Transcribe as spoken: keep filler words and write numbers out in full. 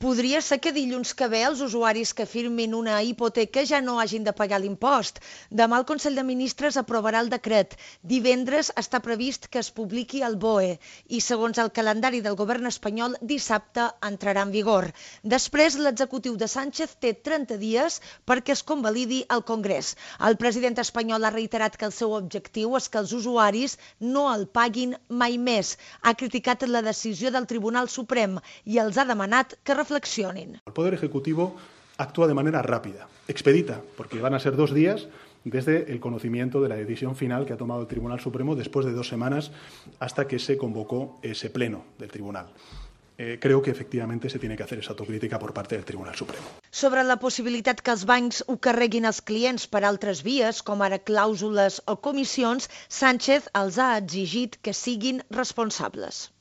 Podria ser que dilluns que ve els usuaris que firmin una hipoteca ja no hagin de pagar l'impost. Demà el Consell de Ministres aprovarà el decret. Divendres està previst que es publiqui el B O E i, segons el calendari del govern espanyol, dissabte entrarà en vigor. Després, l'executiu de Sánchez té trenta dies perquè es convalidi al Congrés. El president espanyol ha reiterat que el seu objectiu és que els usuaris no el paguin mai més. Ha criticat la decisió del Tribunal Suprem i els ha demanat que reflexionin. El Poder Ejecutivo actúa de manera rápida, expedita, porque van a ser dos días desde el conocimiento de la decisión final que ha tomado el Tribunal Supremo después de dos semanas hasta que se convocó ese pleno del Tribunal. Eh, creo que efectivamente se tiene que hacer esa autocrítica por parte del Tribunal Supremo. Sobre la possibilitat que els bancs ho carreguin als clients per altres vies, com ara clàusules o comissions, Sánchez els ha exigit que siguin responsables.